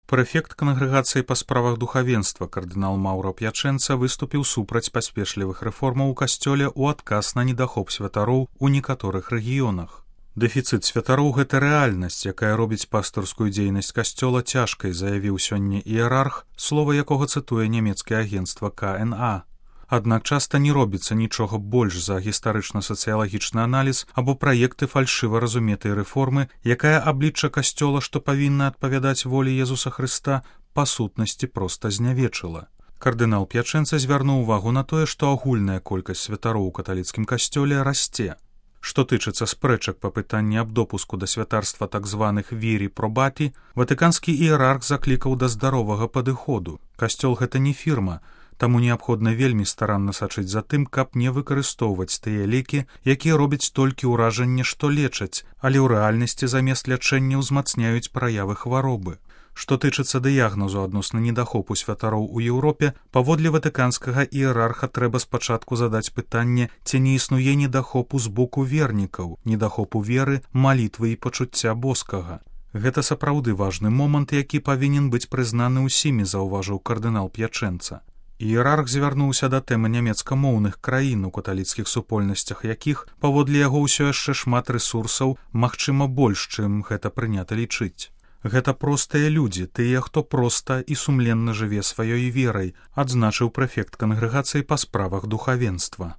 Прэфект кангрэгацыі па справах духавенства кардынал Маўра П'ячэнца выступіў супраць паспешлівых рэформаў у касцёле ў адказ на недахоп святароў у некаторых рэгіёнах. Дэфіцыт святароў – гэта рэальнасць, якая робіць пастырскую дзейнасць касцёла цяжкай, заявіў сёння іерарх, слова якога цытуе нямецкае агенцтва КНА. Аднак часта не робіцца нічога больш за гістарычна-сацыялагічны аналіз або праекты фальшыва разуметай рэформы, якая аблічча касцёла, што павінна адпавядаць волі Езуса Хрыста, па сутнасці проста знявечыла. Кардынал П'ячэнца звярнуў увагу на тое, што агульная колькасць святароў у каталіцкім касцёле расце. Што тычыцца спрэчак па пытанні аб допуску да святарства так званых вірі пробаті, ватыканскі іерарх заклікаў да здаровага падыходу. Касцёл гэта не фірма, таму неабходна вельмі старанна сачыць за тым, каб не выкарыстоўваць тыя лекі, якія робяць толькі ўражанне, што лечаць, але ў рэальнасці замест лячэння ўзмацняюць праявы хваробы. Што тычыцца дыягназу адносна недахопу святароў у Еўропе, паводле ватыканскага іерарха трэба спачатку задаць пытанне, ці не існуе недахопу з боку вернікаў, недахопу веры, малітвы і пачуцця боскага. Гэта сапраўды важны момант, які павінен быць прызнаны ўсімі, заўважыў кардынал П'ячэнца. Іерарх звярнуўся да тэмы нямецкамоўных краін, у каталіцкіх супольнасцях якіх, паводле яго, усё яшчэ шмат рэсурсаў, магчыма больш, чым гэта прынята лічыць. Гэта простыя людзі, тыя, хто проста і сумленна жыве сваёй верай, адзначыў прэфект кангрэгацыі па справах духавенства.